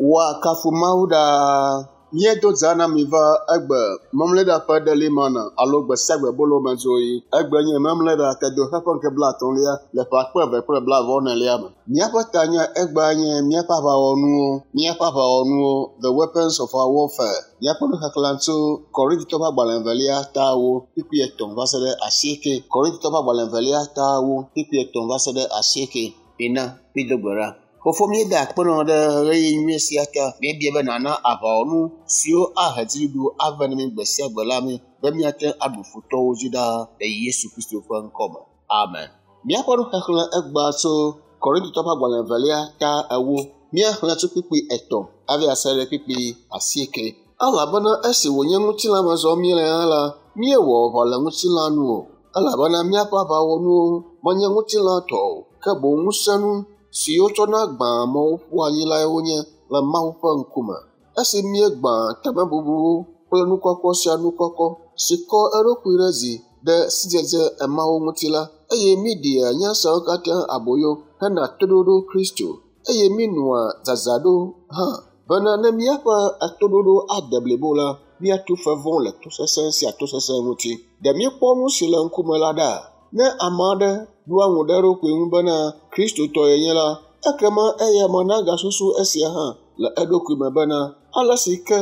Woakafu Mawu ɖaa. Míedo dza na mi va egbe Memleɖa ƒe ɖelimana alo gbe sia gbe bolo me dzoɣi. Egbe nye Memleɖa tedoxe ƒe ŋkeke blaetɔ̃lia le ƒe akpe eve kple blaeve-vɔ-enelia me. Míaƒe tanya egbea nye míaƒe aʋawɔnuwo, míaƒe aʋawɔnuwo, the weapons of our warfare. Míaƒe nuxexlẽ tso Korintitɔ ƒe agbalẽ evelia ta ewo kpukpui etɔ̃ va se ɖe asieke. Korintitɔ ƒe agbalẽ evelia ta ewo kpukpui etɔ̃ va se ɖe asieke. Mina mído gbe ɖa. Fofo míeda akpe nɔ ɖe ɣeyiɣi nyui sia ta. Míebia be nàna aʋawɔnu siwo ahe dziɖuɖu ave na mí gbe sia gbe la mí be míate ŋu aɖu futɔwo dzi ɖaa le Yesu Kristo ƒe ŋkɔ me. Amen. Míaƒe nuxexlẽ egbea tso Korintotɔ ƒe agbalẽ evelia ta ewo. Míaxlẽ tso kpukpui etɔ̃ hafi ase ɖe kpukpui asieke. Elabena esi wònye ŋutilã me zɔm míele hã la, míewɔ aʋa le ŋutilã nu o. Elabena míaƒe aʋawɔnuwo menye ŋutilã tɔ o, ke boŋ ŋusẽnu si wotsɔna gbãa amewo ƒua anyi lae wonye le Mawu ƒe ŋkume. Esi míegbã tamebubuwo kple nu kɔkɔ sia nu kɔkɔ si kɔ eɖokui ɖe dzi ɖe sidzedze emawo ŋuti la, eye míeɖea nya siawo katã aboyo hena toɖoɖo Kristo, eye míenɔa dzadzraɖo hã bena ne míaƒe toɖoɖo ade blibo la, míatu fe vɔ̃ le tosesẽ sia tosesẽ ŋuti. Ɖe míekpɔ nu si le ŋkume la ɖa? Ne ame aɖe ɖoa ŋu ɖe eɖokui ŋu bena Kristotɔ yenye la, ekema eyama nagasusu esia hã le eɖokui me bena ale si ke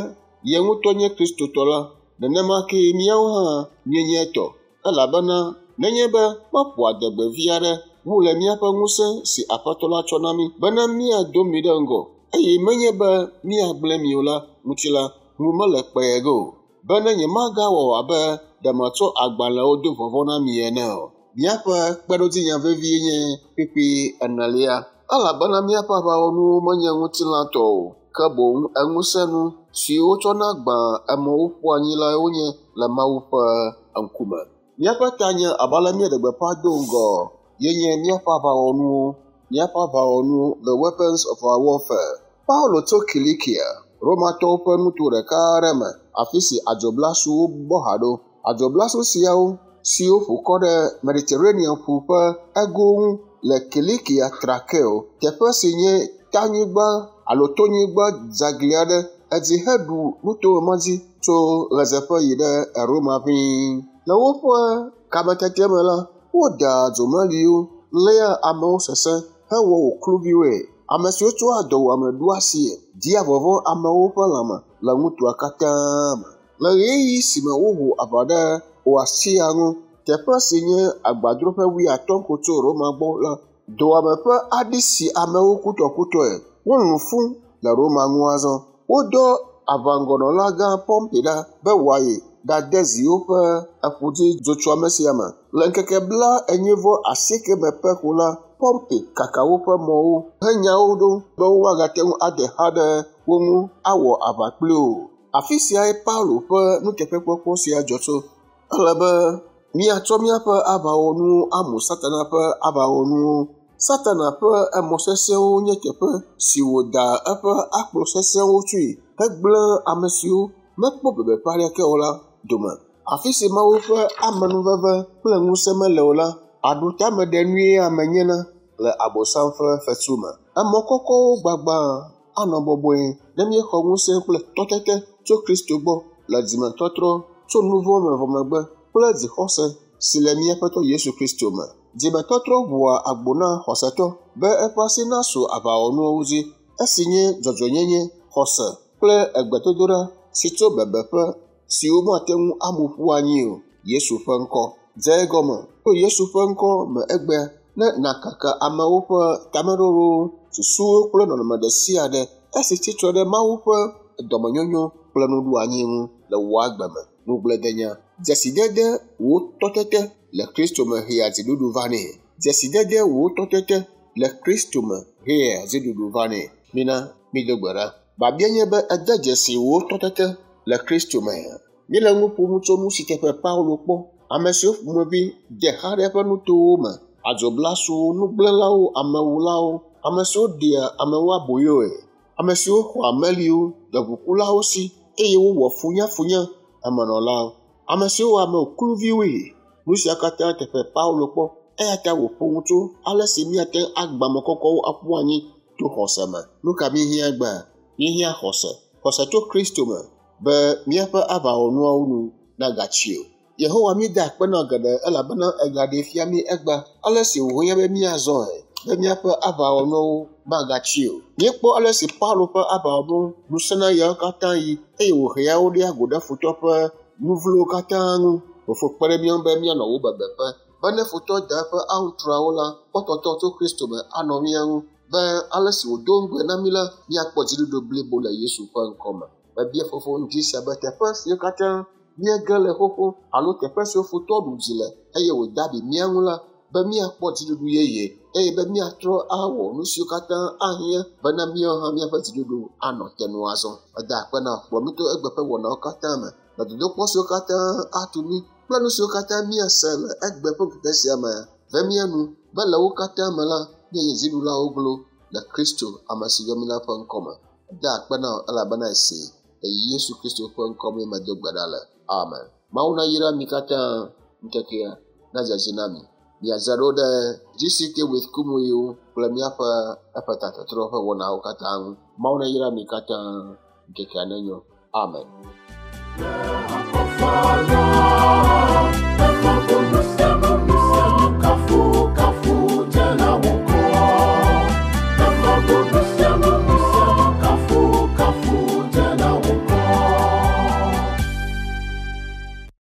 ye ŋutɔ nye Kristotɔ la, nenema kee míawo hã míenye etɔ. Elabena nenye be meƒo adegbe vi aɖe wu le míaƒe ŋusẽ si Aƒetɔ la tsɔ na mí bena míado mi ɖe ŋgɔ, eye menye be míagblẽ mi o la ŋuti la, ŋu mele kpee ge o, bene nyemagawɔ abe ɖe metsɔ agbalẽwo do vɔvɔ̃ na mi ene o. Míaƒe kpeɖodzinya vevie nye kpukpui enelia, elabena míaƒe aʋawɔnuwo menye ŋutilã tɔ o, ke boŋ eŋusẽnu siwo wotsɔna gbãa amewo ƒua anyi lae wonye le Mawu ƒe ŋkume. Míaƒe tanye abe ale míeɖe gbeƒã do ŋgɔ ye nye míaƒe aʋawɔnuwo, míaƒe aʋawɔnuwo, the weapons of our warfare. Paulo tso Kilikia, Romatɔwo ƒe nuto ɖeka aɖe me, afi si adzoblasuwo bɔ ha ɖo. Adzoblasu siawo siwo ƒo kɔ ɖe Mediterranea ƒu ƒe ego ŋu le Kilikia Trakeo, teƒe si nye tanyigba alo tonyigba dzeagli aɖe, edzi heɖu nutome ma dzi tso ɣedzeƒe yi ɖe Roma ʋĩi. Le woƒe kametete me la, wodaa dzomeliwo, léa amewo sesẽ hewɔ wo kluviwoe. Ame siwo tsɔa dɔwuame ɖoa asie dia vɔvɔ̃ amewo ƒe lãme le nutoa katã me. Le ɣeyiɣi si me woho aʋa ɖe Oasia ŋu, teƒe si nye agbadroƒe wuiatɔ̃ ko tso Roma gbɔ la, dɔwuame ƒe aɖi si amewo kutɔkutɔe. Wolũ fũ le Roma ŋu azɔ. Wodɔ aʋaŋgɔnɔlagã Pompey ɖa be wòayi ɖade zi woƒe eƒudzi dzotsoame sia me. Le ŋkeke blaenyi vɔ asieke me pɛ ko la, Pompey kaka woƒe mɔwo henya wo ɖo be woagate ŋu ade xa ɖe wo ŋu awɔ aʋa kpli wo. Afi siae Paulo ƒe nuteƒekpɔkpɔ sia dzɔ tso. Ele be míatsɔ míaƒe aʋawɔnuwo amu Satana ƒe aʋawɔnuwo. Satana ƒe emɔ sesẽwo nye teƒe si wòda eƒe akplɔ sesẽwo tsoe hegblẽ ame siwo mekpɔ bebeƒe aɖeke o la dome. Afi si Mawu ƒe amenuveve kple ŋusẽ mele o la, aɖutameɖenue ame nyena le Abosam ƒe fetu me. Emɔ kɔkɔwo gbagba anɔ bɔbɔe ne míexɔ ŋusẽ kple tɔtete tso Kristo gbɔ le dzimetɔtrɔ tso nu vɔ̃ me vɔ megbe kple dzixɔse si le mía Aƒetɔ Yesu Kristo me. Dzimetɔtrɔ ʋua agbo na xɔsetɔ be eƒe asi nasu aʋawɔnuwo dzi, esi nye dzɔdzɔenyenye, xɔse kple egbedodoɖa si tso bebeƒe si womate ŋu amu ƒu anyi o, Yesu ƒe ŋkɔ. Dze egɔme tso Yesu ƒe ŋkɔ me egbea ne nàkaka amewo ƒe tameɖoɖowo, susuwo kple nɔnɔme ɖe sia ɖe esi tsitre ɖe Mawu ƒe dɔmenyonyo kple nuɖoanyi ŋu le wò agbe me. Ŋugbledenya. Dzesidede wò tɔtete le Kristo me hea dziɖuɖu vanɛ. Dzesidede wò tɔtete le Kristo me hea dziɖuɖu vanɛ. Mina mído gbe ɖa. Biabia nye be ède dzesi wò tɔtete le Kristo me. Míele nu ƒom tso nu si teƒe Paulo kpɔ, ame siwo ƒomevi de xa ɖe eƒe nutowo me, adzoblasuwo, nugblẽlawo, amewulawo, ame siwo ɖea amewo aboyoe, ame siwo xɔa meliwo le ʋukulawo si eye wowɔ funyafunya amenɔlawo, ame siwo wɔ ame kluviwoe. Nu sia katã teƒe Paulo kpɔ eya ta wòƒo nu tso ale si míate ŋu agbã ame kɔkɔwo aƒu anyi to xɔse me. Nu ka míehiã egbea? Míehiã xɔse, xɔse tso Kristo me be míaƒe aʋawɔnuawo nu nagatsi o. Yehowa míeda akpe na geɖe elabena egaɖee fia mí egbea ale si wòhiã be míazɔe be míaƒe aʋawɔnuwo magatsi o. Míekpɔ ale si Paulo ƒe aʋawɔnu nu sẽna ɣeawo katã ɣi eye wòhea wo ɖea go ɖe futɔ ƒe nu vlowo katã ŋu. Fofo kpe ɖe mía ŋu be míanɔ wò bebeƒe be ne futɔ da eƒe aŋutrɔawo la, kpɔtɔtɔ tso Kristo me anɔ mía ŋu be ale si wòdo ŋugbe na mí la, míakpɔ dziɖuɖu blibo le Yesu ƒe ŋkɔ me. Mebia fofo ŋdi sia be teƒe siwo katã míege le xoxo alo teƒe siwo futɔ ɖu dzi le eye wòda abi mía ŋu la, be míakpɔ dziɖuɖu yeye eye be míatrɔ awɔ nu siwo katã ahiã bena míawo hã míaƒe dziɖuɖu anɔ te nu azɔ. Meda akpe na wò, kplɔ mí to egbe ƒe wɔnawo katã me le dodokpɔ siwo katã atu mí kple nu siwo katã míase le egbe ƒe ŋkeke sia me ve mía nu be le wo katã me la, míanye dziɖulawo glo le Kristo ame si yɔ mí la ƒe ŋkɔme. Meda akpe na wò elabena esee le Yesu Kristo ƒe ŋkɔ mee medo gbe ɖa le. Amen. Mawu nayra mi katã ŋkekea nadze dzi na mi. Miadzra ɖo ɖe GCK with Kumuyiwo kple míaƒe eƒe tatɔtrɔ ƒe wɔnawo katã ŋu. Mawu nayra mi katã ŋkekea nenyo. Amen. Akɔfala, eƒe